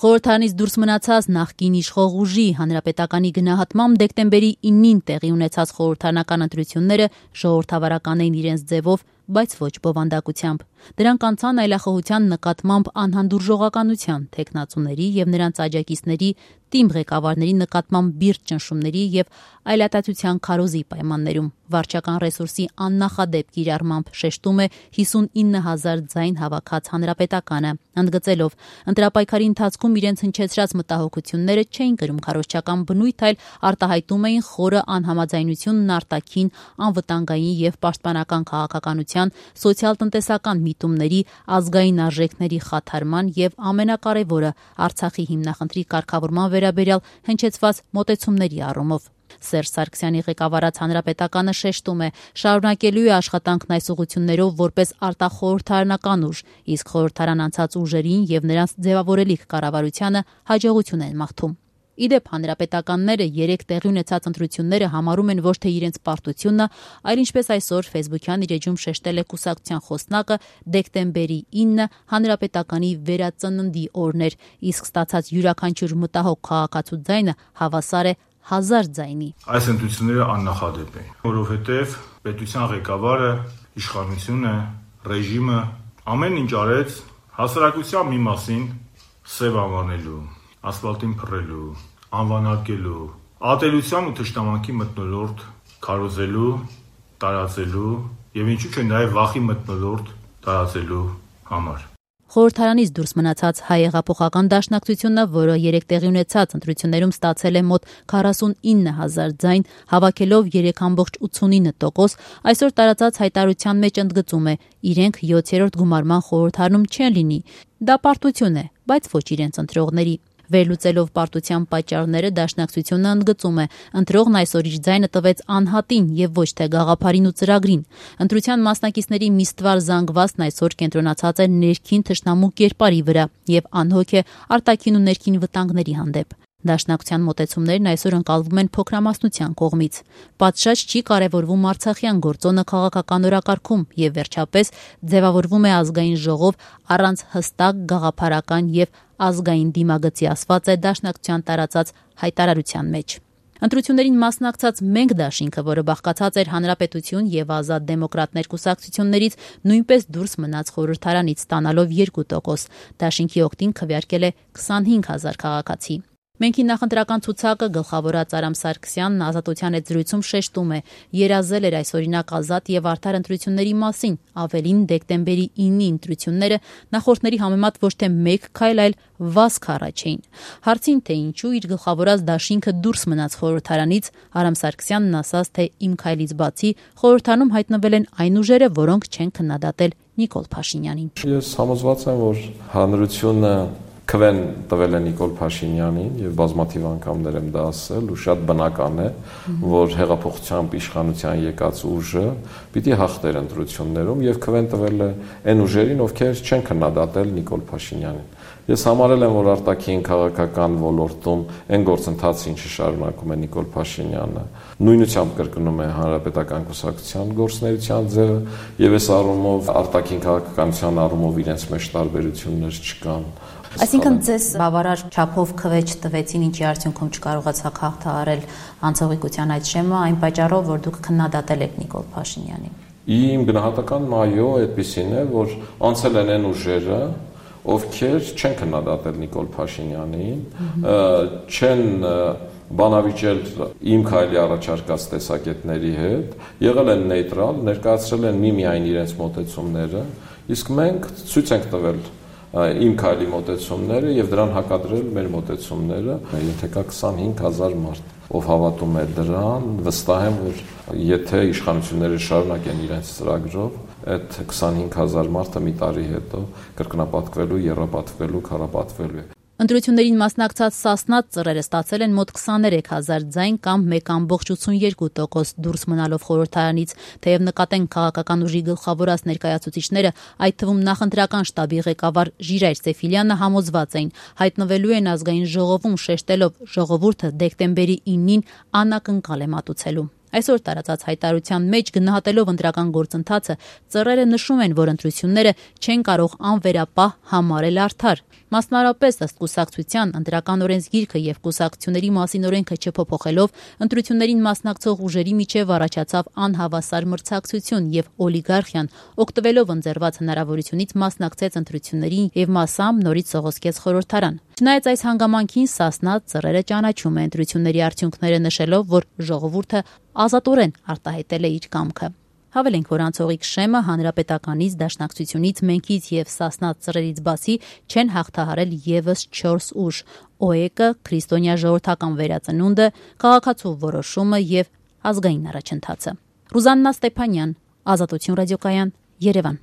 Խորհրդարանից դուրս մնացած նախկին իշխող ուժի հանրապետականի գնահատմամբ դեկտեմբերի 9-ին տեղի ունեցած խորհրդարանական ընտրությունները ժողովրդավարական էին իրենց ձևով, բայց ոչ բովանդակությամբ։ Դրանք անցան այլախոհության նկատմամբ անհանդուրժողականության, թեկնածուների եւ նրանց աջակիցների, թիմ ղեկավարների նկատմամբ բիրտ ճնշումների եւ այլատացության քարոզի պայմաններում։ Վարչական ռեսուրսի աննախադեպ կիրառմամբ շեշտում է 59,000 ձայն հավաքած հանրապետականը, ընդգծելով ընտրապայքարի ընթացքում իրենց հնչեցրած մտահոգությունները չէին կրում քարոզչական բնույթ, այլ արտահայտում էին խորը անհամաձայնությունն արտաքին, անվտանգային եւ պաշտպանական քաղաքականության, սոցիալ-տնտեսական միտումների, ազգային արժեքների խաթարման եւ ամենակարևորը Արցախի հիմնախնդրի կարգավորման վերաբերյալ հնչեցված մոտեցումների առումով։ Սերժ Սարգսյանի ղեկավարած հանրապետականը շեշտում է, շարունակելու է աշխատանքն այս ուղղություններով որպես արտախորհրդարանական ուժ, իսկ խորհրդարան անցած ուժերին եւ նրանց ձևավորելիք կառավարությանը հաջողություն են մաղթում։ Իդեպ հանրապետականները 3 տեղի ունեցած ընտրությունները համարում են ոչ թե իրենց պարտությունը, այլ ինչպես այսօր Facebook-յան իր էջում շեշտել է կուսակցության խոսնակը, դեկտեմբերի 9-ը հանրապետականի վերածննդի օրն էր, իսկ ստացած յուրաքանչյուր մտահոգ քաղաքացու ձայնը հավասար է 1000 ձայնի։ Այս ընտրությունները աննախադեպ են, որովհետև պետության ղեկավարը, իշխանությունը, ռեժիմը ամեն ինչ արեց հասարակության մի մասին սև անվանելու, ասֆալտին փռելու, անվանակելու, ատելության ու թշնամանքի մթնոլորտ քարոզելու, տարածելու եւ ինչու՞ չէ նաեւ վախի մթնոլորտ տարածելու համար։ Խորհրդարանից դուրս մնացած Հայ հեղափոխական դաշնակցությունը, որը 3 տեղի ունեցած ընտրություններում ստացել է մոտ 49,000 ձայն, հավաքելով 3,89%, այսօր տարածած հայտարարության մեջ ընդգծում է, իրենք 7-րդ գումարման խորհրդարանում չեն լինի։ Դա պարտություն է, բայց ոչ իրենց ընտրողների։ Վերլուծելով պարտության պատճառները դաշնակցությունը ընդգծում է, ընտրողն այսօր իր ձայնը տվեց անհատին եւ ոչ թե գաղափարին ու ծրագրին։ Ընտրության մասնակիցների մի ստվար զանգվածն այսօր կենտրոնացած է ներքին թշնամու կերպարի վրա եւ անհոգ է արտաքին ու ներքին վտանգների հանդեպ։ Դաշնակցության մոտեցումներն այսօր ընկալվում են փոքրամասնության կողմից։ Պատշաճ չի կարևորվում արցախյան գործոնը քաղաքական օրակարգում եւ վերջապես ձևավորվում է ազգային ժողով առանց հստակ գաղափարական եւ ազգային դիմագծի ասված է դաշնակցության տարածած հայտարարության մեջ։ Ընտրություններին մասնակցած Մենք դաշինքը, որը բաղկացած էր Հանրապետություն եւ Ազատ դեմոկրատներ կուսակցություններից, նույնպես դուրս մնաց խորհրդարանից, ստանալով 2%։ Դաշինքի օգտին քվեարկել է 25,000 քաղաքացի։ Մենքի նախընտրական ցուցակը գլխավորած Արամ Սարգսյանն Ազատության հետ զրույցում շեշտում է, երազել էր այսօրինակ ազատ եւ արդար ընտրությունների մասին, ավելին դեկտեմբերի 9-ի ընտրությունները նախորդների համեմատ ոչ թե 1 քայլ, այլ վազք առաջ էին։ Հարցին, թե ինչու իր գլխավորած դաշինքը դուրս մնաց խորհրդարանից, Արամ Սարգսյանն ասաց, թե իմ քայլից բացի խորհրդարանում հայտնվել են այն ուժերը, որոնք չեն քննադատել Նիկոլ Փաշինյանին։ Ես համոզված եմ, որ հանրությունը քվեն տվել է Նիկոլ Փաշինյանին եւ բազմաթիվ անգամներ եմ դա ասել ու շատ բնական է, որ հեղափոխությամբ իշխանության եկած ուժը պիտի հաղթեր ընտրություններում եւ քվեն տվել է այն ուժերին, ովքեր չեն քննադատել Նիկոլ Փաշինյանին։ Ես համարել եմ, որ արտաքին քաղաքական ոլորտում այն գործընթացը, ինչը շարունակում է Նիկոլ Փաշինյանը, նույնությամբ կրկնում է հանրապետական կուսակցության գործունեության ձևը եւ այս առումով արտաքին քաղաքականության առումով իրենց մեջ տարբերություններ չկան։ Այսինքն ձեզ բավարար չափով քվեջ տվեցին, ինչի արդյունքում չկարողացաք հաղթահարել անցողիկության այդ շեմը, այն պատճառով, որ դուք քննադատել եք Նիկոլ Փաշինյանին։ Իմ գնահատականն այո, այդպեսին է, որ անցել են այն ուժերը, ովքեր չեն քննադատել Նիկոլ Փաշինյանին, չեն բանավիճել իմ քայլի առաջարկած տեսակետների հետ, եղել են նեյտրալ, ներկայացրել են միմիայն իրենց մոտեցումները, իսկ մենք ցույց ենք տվել իմ քայլի մոտեցումները եւ դրան հակադրել մեր մոտեցումները, ենթեկա 25,000 մարդ, ով հավատում է դրան, վստահ եմ, որ եթե իշխանությունները շարունակեն իրենց ծրագրով, այդ 25,000 մարդը մի տարի հետո կրկնապատկվելու, եռապատկվելու, քառապատկվելու է։ Ընտրություններին մասնակցած Սասնատ ծռերը ստացել են մոտ 23,000 ձայն կամ 1,82% դուրս մնալով խորհրդարանից, թեև նկատեն քաղաքական ուժի գլխավորած ներկայացուցիչները, այդ թվում նախընտրական շտաբի ղեկավար Ժիրայր Սեֆիլյանը համոզված էին, հայտնվելու են ազգային ժողովում, շեշտելով ժողովուրդը դեկտեմբերի 9-ին անակնկալ է մատուցելու։ Այսօր տարածած հայտարարության մեջ գնահատելով ընտրական գործընթացը, ծռերը նշում են, որ ընտրությունները չեն կարող անվերապահ համարել արդար։ Մասնարարպես ըստ կուսակցության ընտրական օրենսգիրքը եւ կուսակցությունների մասին օրենքը չփոփոխելով ընտրություններին մասնակցող ուժերի միջև առաջացավ անհավասար մրցակցություն եւ օլիգարխիան օգտվելով ընձեռված հնարավորությունից մասնակցեց ընտրություններին եւ մասամբ նորից սողոսկեց խորհրդարան։ Չնայած այս հանգամանքին Սասնա ծռերը ճանաչում է ընտրությունների արդյունքները նշելով, որ ժողովուրդը ազատորեն արտահայտել է իր կամքը։ Հավելենք, որ անցողիկ շեմը հանրապետականից, դաշնակցությունից, մենքից եւ Սասնա ծռերից բացի չեն հաղթահարել եւս 4 ուժ՝ ՕԵԿ-ը, Քրիստոնյա ժողովրդական վերածնունդը, Քաղաքացու որոշումը եւ Ազգային առաջընթացը։ Ռուզաննա Ստեփանյան, Ազատություն ռադիոկայան, Երևան։